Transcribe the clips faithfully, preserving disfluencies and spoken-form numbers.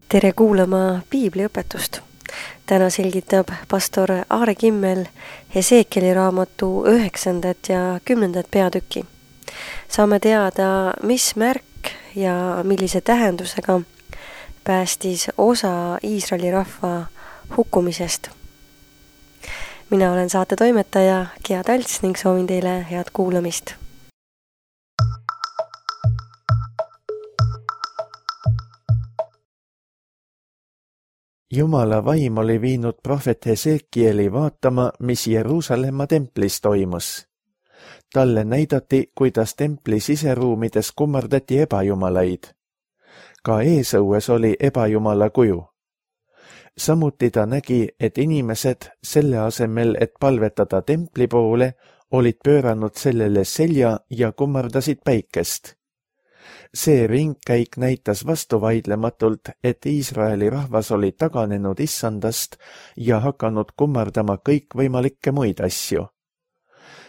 Tere kuulama piibliõpetust. Täna selgitab pastor Aare Kimmel Hesekieli raamatu üheksandat ja kümnendat peatükki. Saame teada, mis märk ja millise tähendusega päästis osa Iisraeli rahva hukkumisest. Mina olen saate toimetaja Gea Talts ning soovin teile head kuulamist. Jumala vaim oli viinud prohvet Hesekieli vaatama, mis Jeruusalemma templis toimus. Talle näidati, kuidas templi siseruumides kummardati ebajumalaid. Ka eesõues oli ebajumala kuju. Samuti ta nägi, et inimesed selle asemel, et palvetada templi poole, olid pööranud sellele selja ja kummardasid päikest. See ringkäik näitas vastuvaidlematult, et Iisraeli rahvas oli taganenud issandast ja hakanud kummardama kõikvõimalikke muid asju.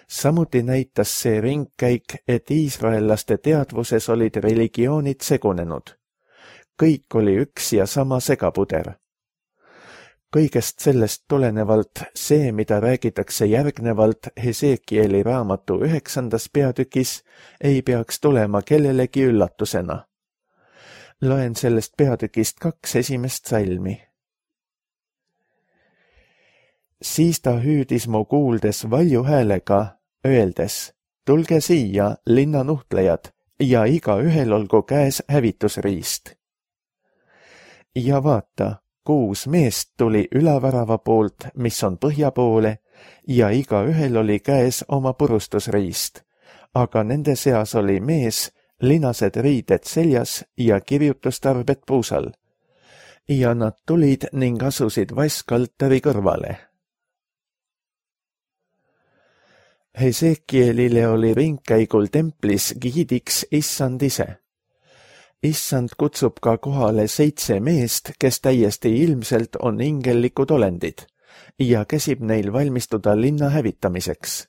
Samuti näitas see ringkäik, et iisraellaste teadvuses olid religioonid segunenud. Kõik oli üks ja sama segapuder. Kõigest sellest tulenevalt see, mida räägitakse järgnevalt Hesekieli raamatu üheksandas peatükis, ei peaks tulema kellelegi üllatusena. Loen sellest peatükist kaks esimest salmi. Siis ta hüüdis mu kuuldes valju häälega, öeldes, tulge siia, linnanuhtlejad, ja iga ühel olgu käes hävitusriist. Ja vaata, kuus meest tuli ülavärava poolt, mis on põhja poole, ja iga ühel oli käes oma purustusriist, aga nende seas oli mees, linased riided seljas ja kirjutustarbed puusal. Ja nad tulid ning asusid vaskaltari kõrvale. Hesekielile oli ringkäigul templis giidiks issand ise. Issand kutsub ka kohale seitse meest, kes täiesti ilmselt on ingellikud olendid ja käsib neil valmistuda linna hävitamiseks.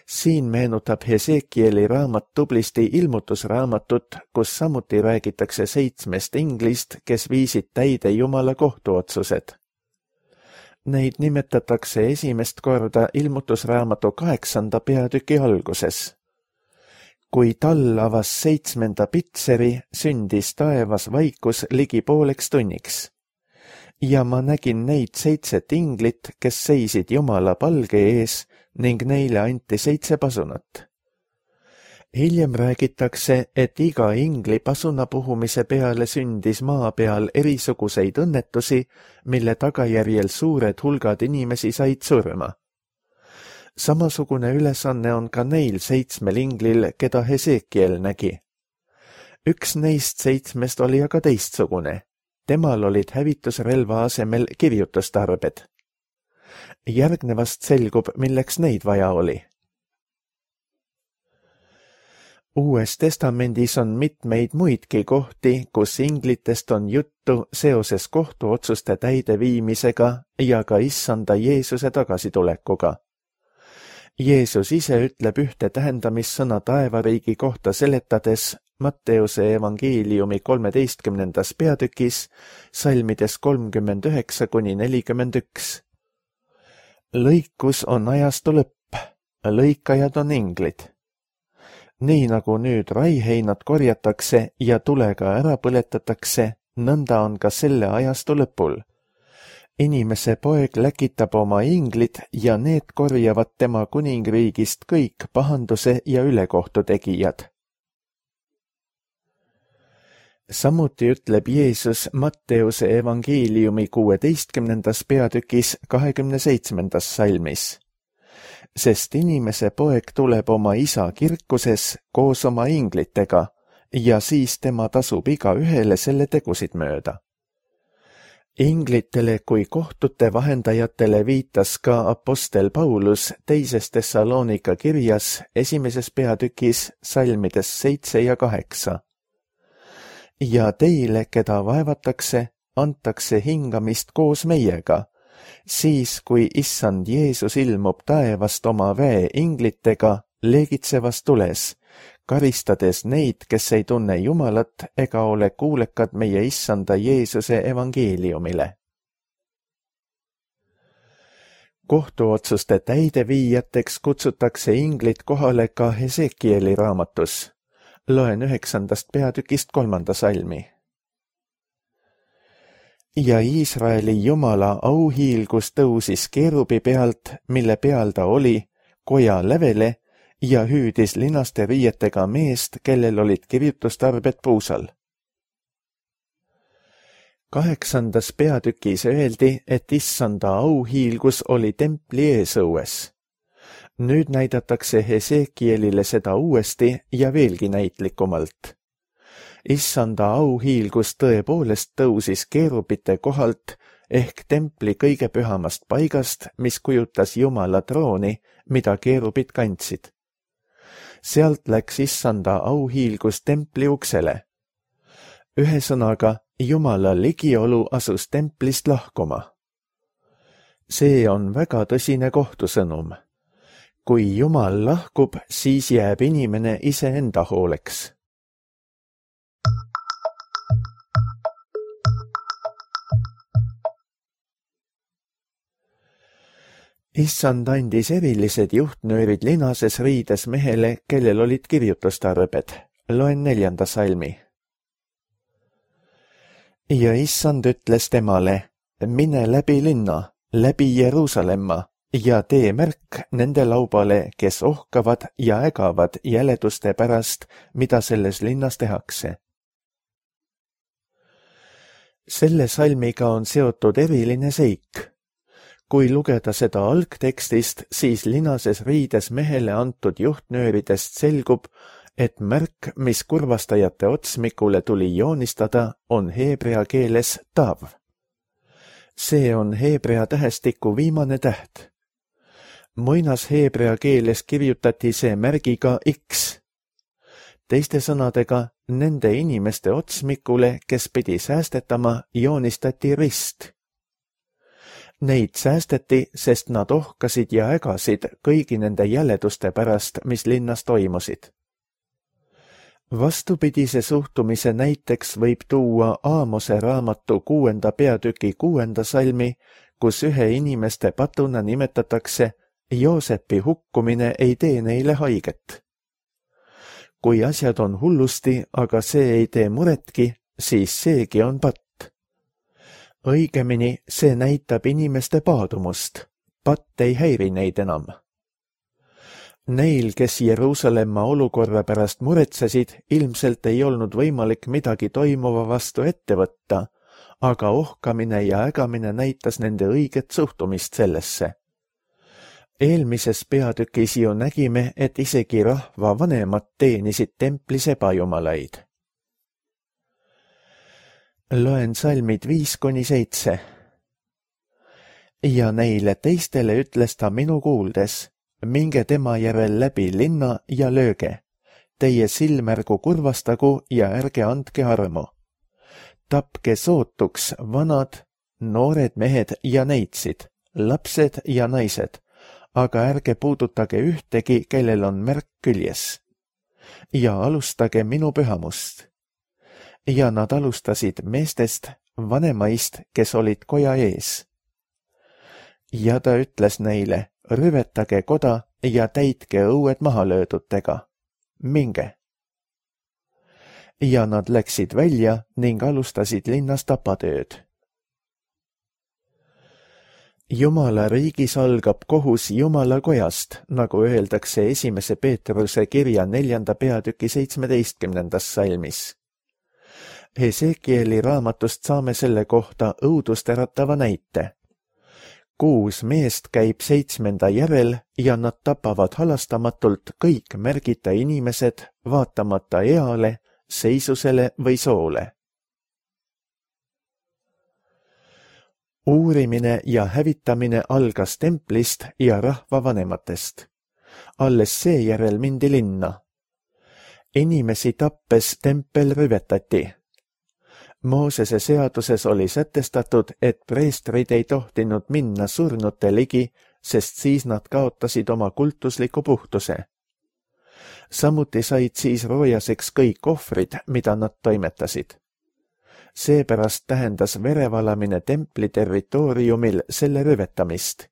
Siin meenutab Hesekieli raamat tublisti ilmutusraamatut, kus samuti räägitakse seitsmest inglist, kes viisid täide Jumala kohtuotsused. Neid nimetatakse esimest korda ilmutusraamatu kaheksanda peatüki alguses. Kui tal avas seitsmenda pitseri, sündis taevas vaikus ligi pooleks tunniks. Ja ma nägin neid seitset inglit, kes seisid Jumala palge ees ning neile anti seitse pasunat. Hiljem räägitakse, et iga ingli pasuna puhumise peale sündis maa peal erisuguseid õnnetusi, mille tagajärjel suured hulgad inimesi said surma. Samasugune ülesanne on ka neil seitsmel inglil, keda Hesekiel nägi. Üks neist seitsmest oli aga teistsugune. Temal olid hävitusrelva asemel kirjutustarbed. Järgnevast selgub, milleks neid vaja oli. Uues testamendis on mitmeid muidki kohti, kus inglitest on juttu seoses kohtuotsuste täideviimisega ja ka issanda Jeesuse tagasitulekuga. Jeesus ise ütleb ühte tähendamissõna taevariigi kohta seletades Matteuse evangeeliumi kolmeteistkümnendas peatükis, salmides kolmkümmend üheksa kuni nelikümmend üks. Lõikus on ajastu lõpp, lõikajad on inglid. Nii nagu nüüd raiheinad korjatakse ja tulega ära põletatakse, nõnda on ka selle ajastu lõpul. Inimese poeg läkitab oma inglid ja need korjavad tema kuningriigist kõik pahanduse ja ülekohtu tegijad. Samuti ütleb Jeesus Matteuse evangeeliumi kuueteistkümnendas peatükis kahekümne seitsmendas salmis. Sest inimese poeg tuleb oma isa kirkuses koos oma inglitega ja siis tema tasub iga ühele selle tegusid mööda. Inglitele kui kohtute vahendajatele viitas ka apostel Paulus teises Thessalonika kirjas esimeses peatükis salmides seitse ja kaheksa. Ja teile, keda vaevatakse, antakse hingamist koos meiega, siis kui issand Jeesus ilmub taevast oma väe inglitega leegitsevas tules karistades neid, kes ei tunne Jumalat ega ole kuulekad meie issanda Jeesuse evangeeliumile. Kohtuotsuste täideviijateks kutsutakse inglid kohale ka Hesekieli raamatus. Loen üheksandast peatükist kolmanda salmi. Ja Iisraeli Jumala auhiilgus tõusis keerubi pealt, mille peal ta oli, koja lävele ja hüüdis linaste riietega meest, kellel olid kirjutustarbed puusal. Kaheksandas peatükis öeldi, et issanda auhiilgus oli templi eesõues. Nüüd näidatakse Hesekielile seda uuesti ja veelgi näitlikumalt. Issanda auhiilgus tõepoolest tõusis keerubite kohalt ehk templi kõige pühamast paigast, mis kujutas Jumala trooni, mida keerubid kandsid. Sealt läks issanda auhiilgus templi uksele. Ühesõnaga, Jumala ligiolu asus templist lahkuma. See on väga tõsine kohtusõnum. Kui Jumal lahkub, siis jääb inimene iseenda hooleks. Issand andis erilised juhtnöörid linases riides mehele, kellel olid kirjutustarbed. Loen neljanda salmi. Ja issand ütles temale, mine läbi linna, läbi Jeruusalemma ja tee märk nende laubale, kes ohkavad ja ägavad jäleduste pärast, mida selles linnas tehakse. Selle salmiga on seotud eriline seik. Kui lugeda seda algtekstist, siis linases riides mehele antud juhtnööridest selgub, et märk, mis kurvastajate otsmikule tuli joonistada, on heebrea keeles tav. See on heebrea tähestiku viimane täht. Muinas heebrea keeles kirjutati see märgiga X. Teiste sõnadega, nende inimeste otsmikule, kes pidi säästetama, joonistati rist. Neid säästeti, sest nad ohkasid ja ägasid kõigi nende jäleduste pärast, mis linnas toimusid. Vastupidise suhtumise näiteks võib tuua Aamose raamatu kuuenda peatüki kuuenda salmi, kus ühe inimeste patuna nimetatakse Joosepi hukkumine ei tee neile haiget. Kui asjad on hullusti, aga see ei tee muretki, siis seegi on patt. Õigemini see näitab inimeste paadumust. Patt ei häiri neid enam. Neil, kes Jeruusalemma olukorra pärast muretsesid, ilmselt ei olnud võimalik midagi toimuva vastu ette võtta, aga ohkamine ja ägamine näitas nende õiget suhtumist sellesse. Eelmises peatükis ju nägime, et isegi rahva vanemad teenisid templis ebajumalaid. Loen salmid viis kuni seitse. Ja neile teistele ütles ta minu kuuldes, minge tema järel läbi linna ja lööge. Teie silmärgu kurvastagu ja ärge andke armu. Tapke sootuks vanad, noored mehed ja neitsid, lapsed ja naised, aga ärge puudutage ühtegi, kellel on märk küljes. Ja alustage minu pühamust. Ja nad alustasid meestest, vanemaist, kes olid koja ees. Ja ta ütles neile, rüvetage koda ja täitke õued mahalöödutega. Minge. Ja nad läksid välja ning alustasid linnas tapatööd. Jumala riigis algab kohus Jumala kojast, nagu öeldakse esimese Peetruse kirja neljanda peatüki seitsmeteistkümnendas salmis. Hesekieli raamatust saame selle kohta õudust äratava näite. Kuus meest käib seitsmenda järel ja nad tapavad halastamatult kõik märgita inimesed, vaatamata eale, seisusele või soole. Uurimine ja hävitamine algas templist ja rahvavanematest. Alles seejärel mindi linna. Inimesi tappes tempel rüvetati. Moosese seaduses oli sätestatud, et preestrid ei tohtinud minna surnute ligi, sest siis nad kaotasid oma kultusliku puhtuse. Samuti said siis roojaseks kõik ohvrid, mida nad toimetasid. Seepärast tähendas verevalamine templi territooriumil selle rüvetamist.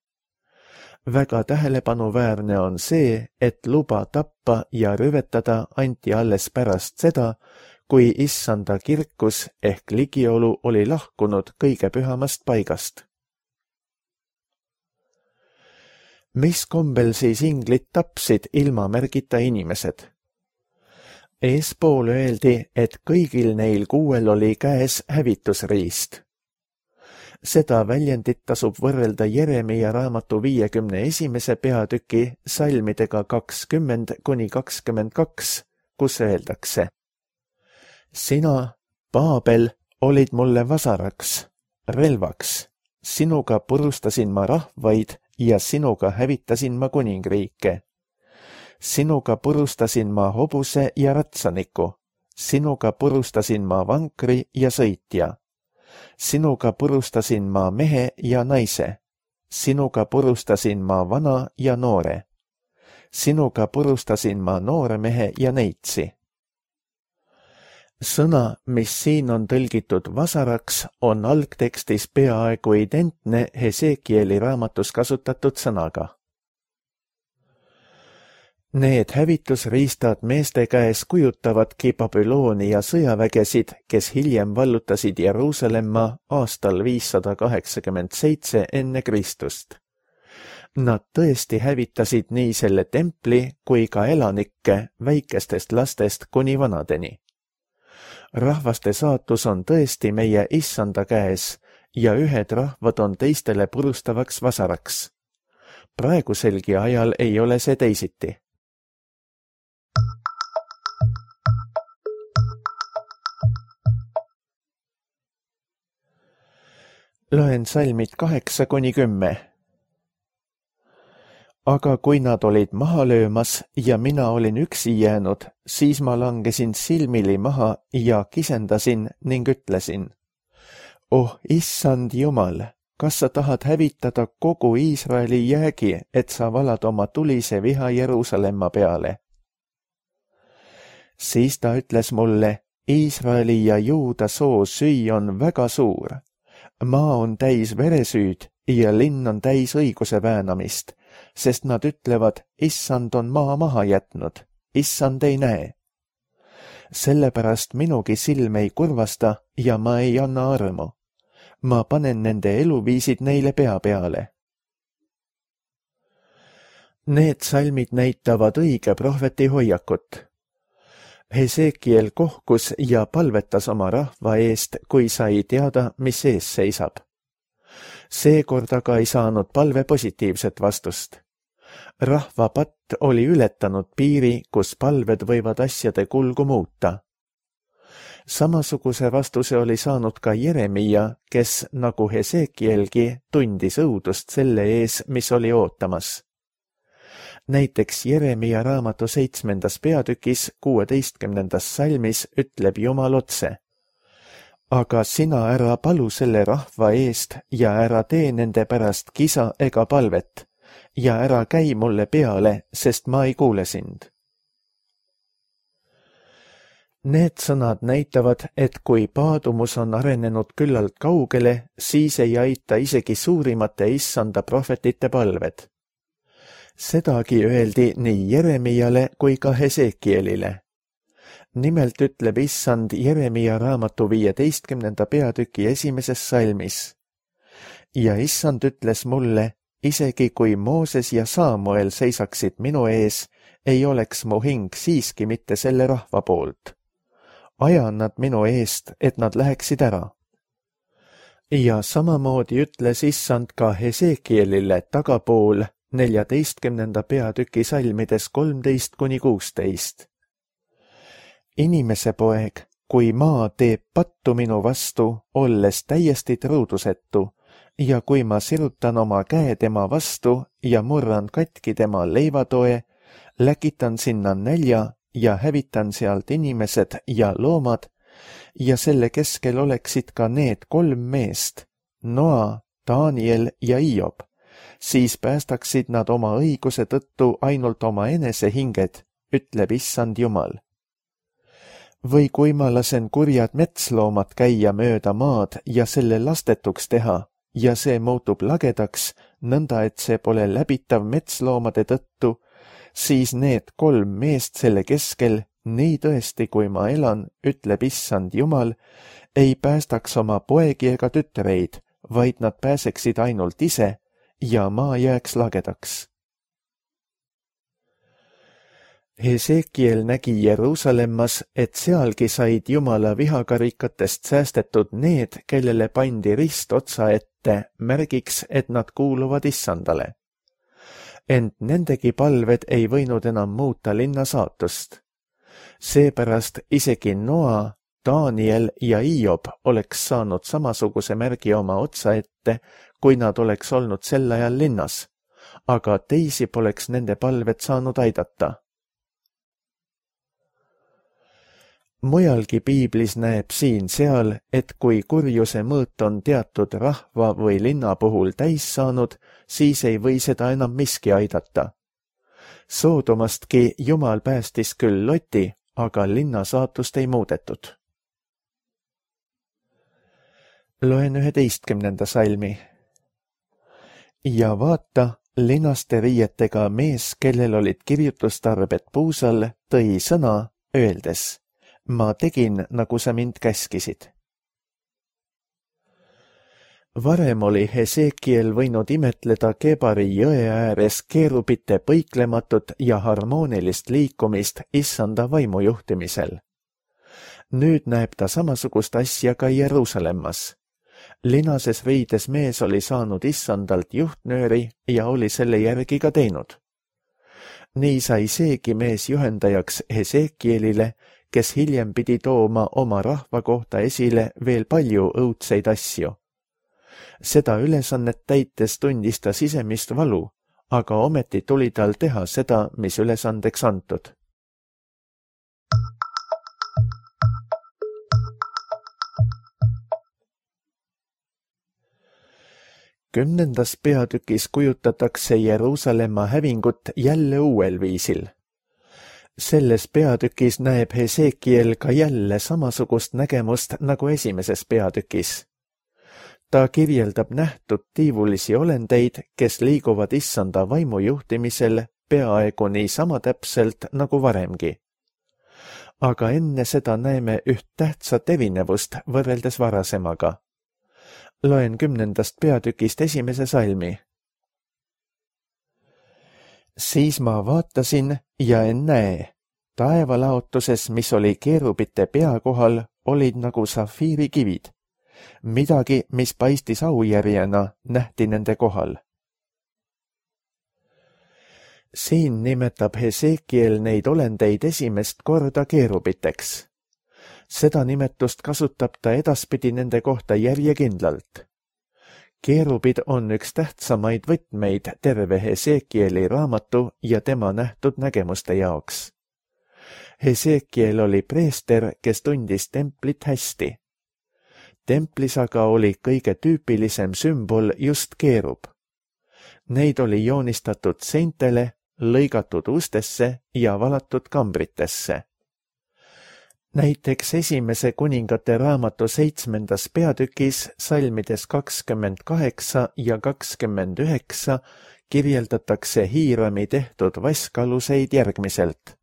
Väga tähelepanuväärne on see, et luba tappa ja rüvetada anti alles pärast seda, kui issanda kirkus ehk ligiolu oli lahkunud kõige pühamast paigast. Mis kombel siis inglid tapsid ilma märgita inimesed? Eespool öeldi, et kõigil neil kuuel oli käes hävitusriist. Seda väljendit tasub võrrelda Jeremia raamatu viiekümne esimese peatüki salmidega kakskümmend kuni kakskümmend kaks, kus öeldakse: Sina, Paabel, olid mulle vasaraks, relvaks, sinuga purustasin ma rahvaid ja sinuga hävitasin ma kuningriike. Sinuga purustasin ma hobuse ja ratsaniku, sinuga purustasin ma vankri ja sõitja. Sinuga purustasin ma mehe ja naise, sinuga purustasin ma vana ja noore. Sinuga purustasin ma noore mehe ja neitsi. Sõna, mis siin on tõlgitud vasaraks, on algtekstis peaaegu identne Hesekieli raamatus kasutatud sõnaga. Need hävitusriistad meeste käes kujutavadki Babyloonia sõjavägesid, kes hiljem vallutasid Jeruusalemma aastal viissada kaheksakümmend seitse enne Kristust. Nad tõesti hävitasid nii selle templi kui ka elanikke väikestest lastest kuni vanadeni. Rahvaste saatus on tõesti meie issanda käes ja ühed rahvad on teistele purustavaks vasaraks. Praeguselgi ajal ei ole see teisiti. Loen salmid kaheksa kuni kümme. Aga kui nad olid maha löömas ja mina olin üksi jäänud, siis ma langesin silmili maha ja kisendasin ning ütlesin: Oh, issand Jumal, kas sa tahad hävitada kogu Iisraeli jäägi, et sa valad oma tulise viha Jeruusalemma peale? Siis ta ütles mulle: Iisraeli ja Juuda soo süü on väga suur. Maa on täis veresüüd ja linn on täis õiguse väänamist, sest nad ütlevad, issand on maa maha jätnud, issand ei näe. Sellepärast minugi silm ei kurvasta ja ma ei anna armu. Ma panen nende eluviisid neile pea peale. Need salmid näitavad õige prohveti hoiakut. Hesekiel kohkus ja palvetas oma rahva eest, kui sai teada, mis ees seisab. Seekord aga ei saanud palve positiivset vastust. Rahva patt oli ületanud piiri, kus palved võivad asjade kulgu muuta. Samasuguse vastuse oli saanud ka Jeremia, kes, nagu Hesekielgi, tundis õudust selle ees, mis oli ootamas. Näiteks Jeremia raamatu seitsmendas peatükis kuueteistkümnendas salmis ütleb Jumal otse: Aga sina ära palu selle rahva eest ja ära tee nende pärast kisa ega palvet ja ära käi mulle peale, sest ma ei kuule sind. Need sõnad näitavad, et kui paadumus on arenenud küllalt kaugele, siis ei aita isegi suurimate issanda prohvetite palved. Sedagi öeldi nii Jeremiale kui ka Hesekielile. Nimelt ütleb issand Jeremia raamatu viieteistkümnenda peatüki esimeses salmis: Ja issand ütles mulle, isegi kui Mooses ja Saamuel seisaksid minu ees, ei oleks mu hing siiski mitte selle rahva poolt. Ajan nad minu eest, et nad läheksid ära. Ja samamoodi ütles issand ka Hesekielile tagapool neljateistkümnenda peatüki salmides kolmteist kuni kuusteist. Inimese poeg, kui maa teeb pattu minu vastu, olles täiesti truudusetu, ja kui ma sirutan oma käe tema vastu ja murran katki tema leivatoe, läkitan sinna nälja ja hävitan sealt inimesed ja loomad, ja selle keskel oleksid ka need kolm meest, Noa, Daniel ja Hiob, siis päästaksid nad oma õiguse tõttu ainult oma enese hinged, ütleb issand Jumal. Või kui ma lasen kurjad metsloomad käia mööda maad ja selle lastetuks teha ja see muutub lagedaks, nõnda et see pole läbitav metsloomade tõttu, siis need kolm meest selle keskel, nii tõesti kui ma elan, ütleb issand Jumal, ei päästaks oma poegi ega tütreid, vaid nad pääseksid ainult ise ja maa jääks lagedaks. Hesekiel nägi Jeruusalemmas, et sealgi said Jumala vihakarikatest säästetud need, kellele pandi rist otsa ette, märgiks, et nad kuuluvad issandale. Ent nendegi palved ei võinud enam muuta linna saatust. Seepärast isegi Noa, Daniel ja Hiob oleks saanud samasuguse märgi oma otsa ette, kui nad oleks olnud sel ajal linnas, aga teisi poleks nende palved saanud aidata. Mujalgi piiblis näeb siin-seal, et kui kurjuse mõõt on teatud rahva või linna puhul täis saanud, siis ei või seda enam miski aidata. Soodomastki Jumal päästis küll Loti, aga linna saatust ei muudetud. Loen üheteistkümnenda salmi. Ja vaata, linaste riietega mees, kellel olid kirjutustarbed puusal, tõi sõna, öeldes: ma tegin, nagu sa mind käskisid. Varem oli Hesekiel võinud imetleda Kebari jõe ääres keerubite põiklematut ja harmoonilist liikumist issanda vaimu juhtimisel. Nüüd näeb ta samasugust asja ka Jeruusalemmas. Linases riides mees oli saanud issandalt juhtnööri ja oli selle järgi ka teinud. Nii sai seegi mees juhendajaks Hesekielile, kes hiljem pidi tooma oma rahva kohta esile veel palju õudseid asju. Seda ülesannet täites tundis ta sisemist valu, aga ometi tuli tal teha seda, mis ülesandeks antud. Kümnendas peatükis kujutatakse Jeruusalemma hävingut jälle uuel viisil. Selles peatükis näeb Hesekiel ka jälle samasugust nägemust nagu esimeses peatükis. Ta kirjeldab nähtud tiivulisi olendeid, kes liiguvad issanda vaimu juhtimisel peaaegu nii sama täpselt nagu varemgi. Aga enne seda näeme üht tähtsat erinevust võrreldes varasemaga. Loen kümnendast peatükist esimese salmi. Siis ma vaatasin ja ennäe, taevalaotuses, mis oli keerubite pea kohal, olid nagu safiirikivid. Midagi, mis paistis aujärjena, nähti nende kohal. Siin nimetab Hesekiel neid olendeid esimest korda keerubiteks. Seda nimetust kasutab ta edaspidi nende kohta järjekindlalt. Keerubid on üks tähtsamaid võtmeid terve Hesekieli raamatu ja tema nähtud nägemuste jaoks. Hesekiel oli preester, kes tundis templit hästi. Templis aga oli kõige tüüpilisem sümbol just keerub. Neid oli joonistatud seintele, lõigatud ustesse ja valatud kambritesse. Näiteks esimese kuningate raamatu seitsmendas peatükis salmides kakskümmend kaheksa ja kakskümmend üheksa kirjeldatakse Hiirami tehtud vaskaluseid järgmiselt.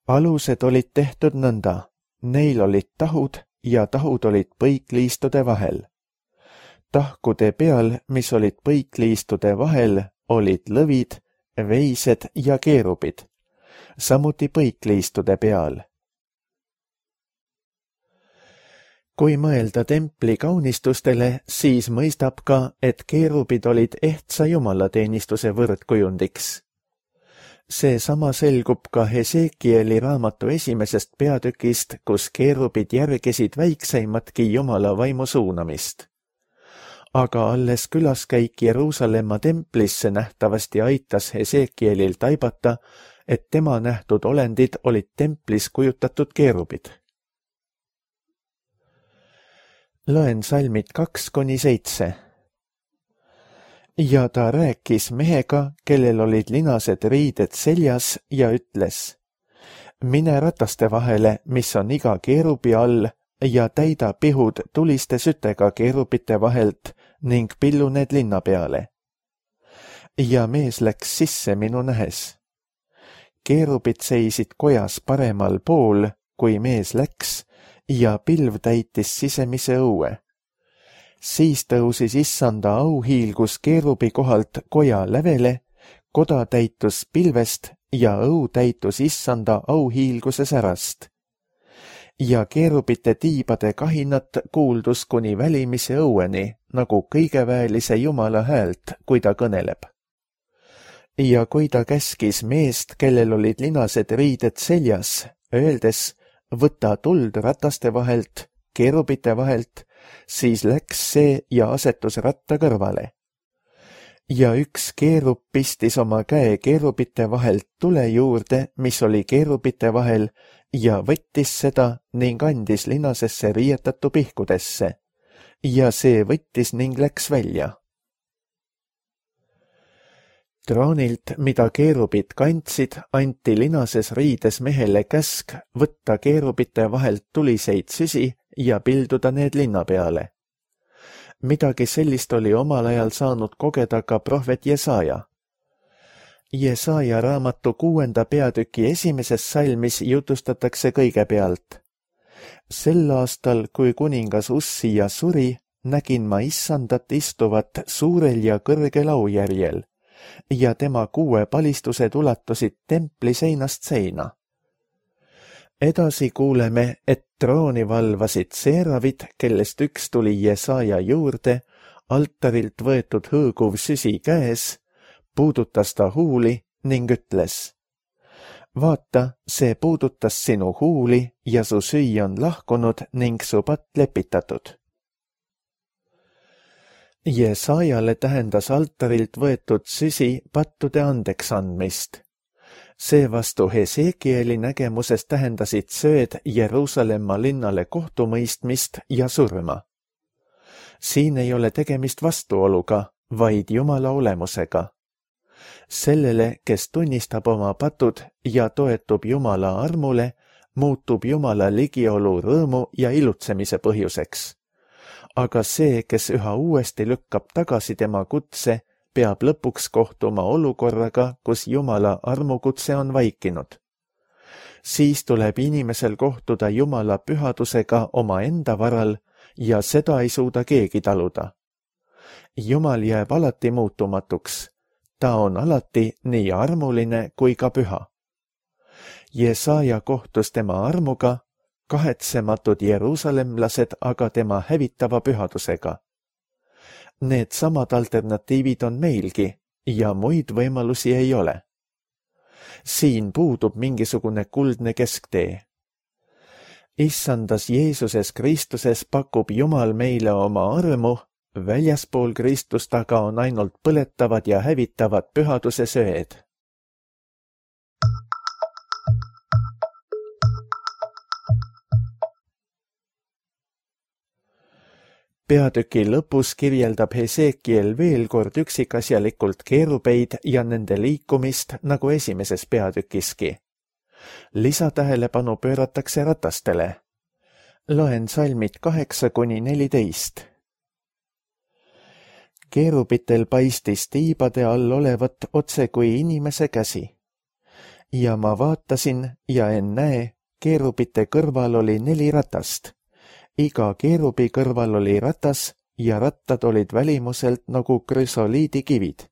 Alused olid tehtud nõnda, neil olid tahud ja tahud olid põikliistude vahel. Tahkude peal, mis olid põikliistude vahel, olid lõvid, veised ja keerubid, samuti põikliistude peal. Kui mõelda templi kaunistustele, siis mõistab ka, et keerubid olid ehtsa jumalateenistuse võrdkujundiks. See sama selgub ka Hesekieli raamatu esimesest peatükist, kus keerubid järgesid väikseimatki jumala vaimu suunamist. Aga alles külaskäik Jeruusalemma templisse nähtavasti aitas Hesekielil taibata, et tema nähtud olendid olid templis kujutatud keerubid. Loen salmid kaks kuni seitse. ja ta rääkis mehega, kellel olid linased riided seljas ja ütles: mine rataste vahele, mis on iga keerubi all, ja täida pihud tuliste sütega keerubite vahelt ning pillu need linna peale. Ja mees läks sisse minu nähes. Keerubid seisid kojas paremal pool, kui mees läks, ja pilv täitis sisemise õue. Siis tõusis issanda auhiilgus keerubi kohalt koja lävele, koda täitus pilvest ja õu täitus issanda auhiilguse särast. Ja keerubite tiibade kahinat kuuldus kuni välimise õueni, nagu kõigeväelise Jumala häält, kui ta kõneleb. Ja kui ta käskis meest, kellel olid linased riided seljas, öeldes: võta tuld rataste vahelt, keerubite vahelt, siis läks see ja asetus ratta kõrvale. Ja üks keerub pistis oma käe keerubite vahelt tule juurde, mis oli keerubite vahel, ja võttis seda ning andis linasesse riietatu pihkudesse. Ja see võttis ning läks välja. Troonilt, mida keerubid kandsid, anti linases riides mehele käsk võtta keerubite vahelt tuliseid süsi ja pilduda need linna peale. Midagi sellist oli omal ajal saanud kogeda ka prohvet Jesaja. Jesaja raamatu kuuenda peatüki esimeses salmis jutustatakse kõigepealt: sel aastal, kui kuningas Ussia suri, nägin ma issandat istuvat suurel ja kõrgel aujärjel, ja tema kuue palistused ulatusid templi seinast seina. Edasi kuuleme, et trooni valvasid seeravid, kellest üks tuli Jesaja juurde, altarilt võetud hõõguv süsi käes, puudutas ta huuli ning ütles: vaata, see puudutas sinu huuli ja su süü on lahkunud ning su patt lepitatud. Jesajale tähendas altarilt võetud süsi pattude andeks andmist. Seevastu Hesekieli nägemuses tähendasid sööd Jeruusalemma linnale kohtumõistmist ja surma. Siin ei ole tegemist vastuoluga, vaid Jumala olemusega. Sellele, kes tunnistab oma patud ja toetub Jumala armule, muutub Jumala ligiolu rõõmu ja ilutsemise põhjuseks. Aga see, kes üha uuesti lükkab tagasi tema kutse, peab lõpuks kohtuma olukorraga, kus Jumala armukutse on vaikinud. Siis tuleb inimesel kohtuda Jumala pühadusega oma enda varal ja seda ei suuda keegi taluda. Jumal jääb alati muutumatuks. Ta on alati nii armuline kui ka püha. Jesaja kohtus tema armuga, kahetsematud jeruusalemlased aga tema hävitava pühadusega. Need samad alternatiivid on meilgi ja muid võimalusi ei ole. Siin puudub mingisugune kuldne kesktee. Issandas Jeesuses Kristuses pakub Jumal meile oma armu, väljaspool Kristust aga on ainult põletavad ja hävitavad pühaduse söed. Peatüki lõpus kirjeldab Hesekiel veel kord üksikasjalikult keerubeid ja nende liikumist nagu esimeses peatükiski. Lisatähelepanu pööratakse ratastele. Loen salmid kaheksa kuni neliteist. Keerubitel paistis tiibade all olevat otse kui inimese käsi. Ja ma vaatasin ja en näe, keerubite kõrval oli neli ratast. Iga keerubi kõrval oli ratas ja rattad olid välimuselt nagu krüsoliidikivid.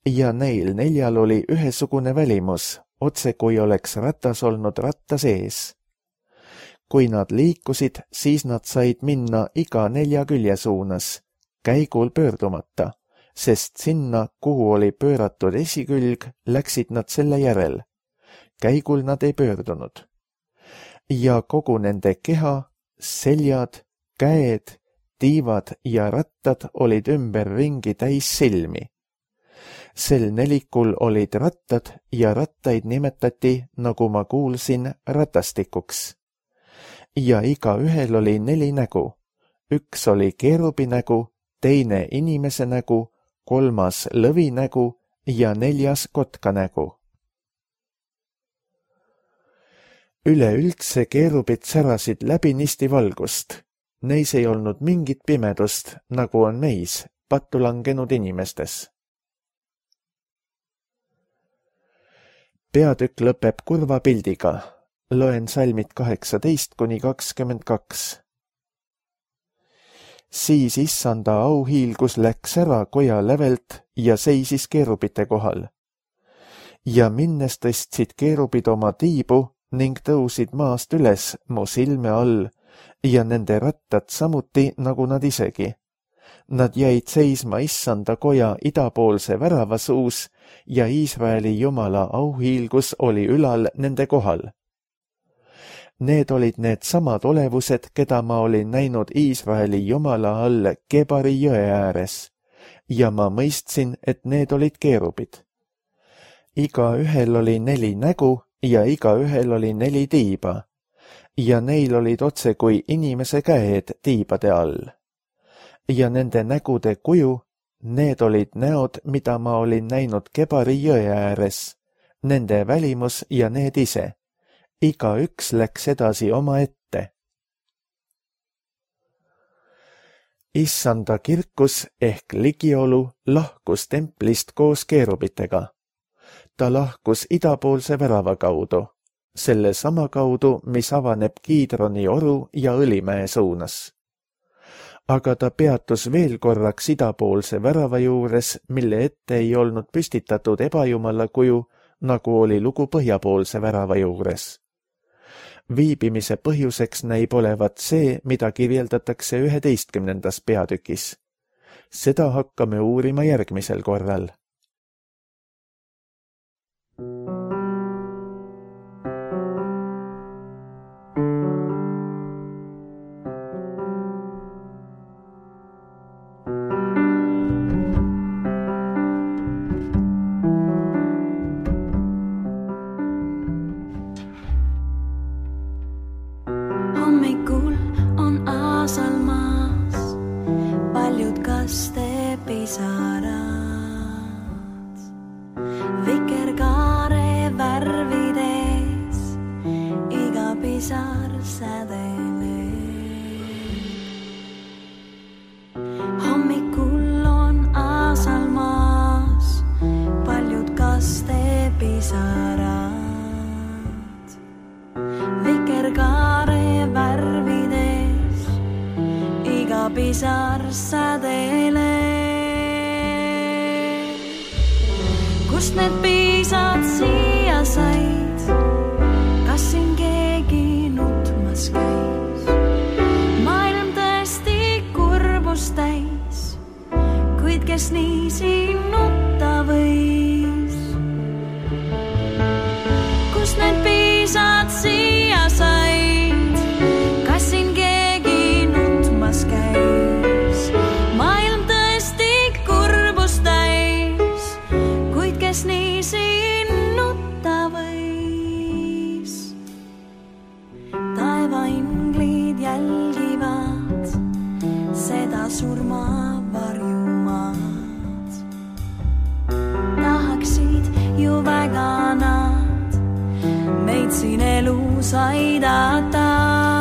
Ja neil neljal oli ühesugune välimus, otse kui oleks ratas olnud ratta sees. Kui nad liikusid, siis nad said minna iga nelja külje suunas, käigul pöördumata, sest sinna, kuhu oli pööratud esikülg, läksid nad selle järel. Käigul nad ei pöördunud. Ja kogu nende keha, seljad, käed, tiivad ja rattad olid ümberringi täis silmi. Sel nelikul olid rattad ja rattaid nimetati, nagu ma kuulsin, ratastikuks. Ja iga ühel oli neli nägu. Üks oli keerubi nägu, teine inimese nägu, kolmas lõvinägu ja neljas kotkanägu. Üleüldse keerubid särasid läbinisti valgust. Neis ei olnud mingit pimedust, nagu on meis, pattu langenud inimestes. Peatükk lõpeb kurva pildiga. Loen salmid kaheksateist kuni kakskümmend kaks. Siis issanda auhiilgus läks ära koja lävelt ja seisis keerubite kohal. Ja minnes tõstsid keerubid oma tiibu ning tõusid maast üles mu silme all ja nende rattad samuti nagu nad isegi. Nad jäid seisma issanda koja idapoolse värava suus ja Iisraeli Jumala auhiilgus oli ülal nende kohal. Need olid need samad olevused, keda ma olin näinud Iisraeli Jumala all Kebari jõe ääres, ja ma mõistsin, et need olid keerubid. Iga ühel oli neli nägu ja iga ühel oli neli tiiba, ja neil olid otse kui inimese käed tiibade all. Ja nende nägude kuju, need olid näod, mida ma olin näinud Kebari jõe ääres, nende välimus ja need ise. Iga üks läks edasi oma ette. Issanda kirkus ehk ligiolu lahkus templist koos keerubitega. Ta lahkus idapoolse värava kaudu, selle sama kaudu, mis avaneb Kiidroni oru ja Õlimäe suunas. Aga ta peatus veel korraks idapoolse värava juures, mille ette ei olnud püstitatud ebajumala kuju, nagu oli lugu põhjapoolse värava juures. Viibimise põhjuseks näib olevat see, mida kirjeldatakse üheteistkümnendas peatükis. Seda hakkame uurima järgmisel korral. Vikerkaare värvides iga pisar sädele. Hommikul on aasal maas paljud kaste pisarad. Vikerkaare värvides iga pisar sädele. Kust need piisad siia said? Kas siin keegi nutmas käis? Maailm tõesti kurbust täis, kuid kes nii siin nutta võis? Kust need piisad siia said? Kas siin keegi nutmas käis? Maailm tõesti kurbust täis, kes nii siin nutta võis. Taevainglid jälgivad seda surma varjumaad. Tahaksid ju väga nad meid siin elus aidata.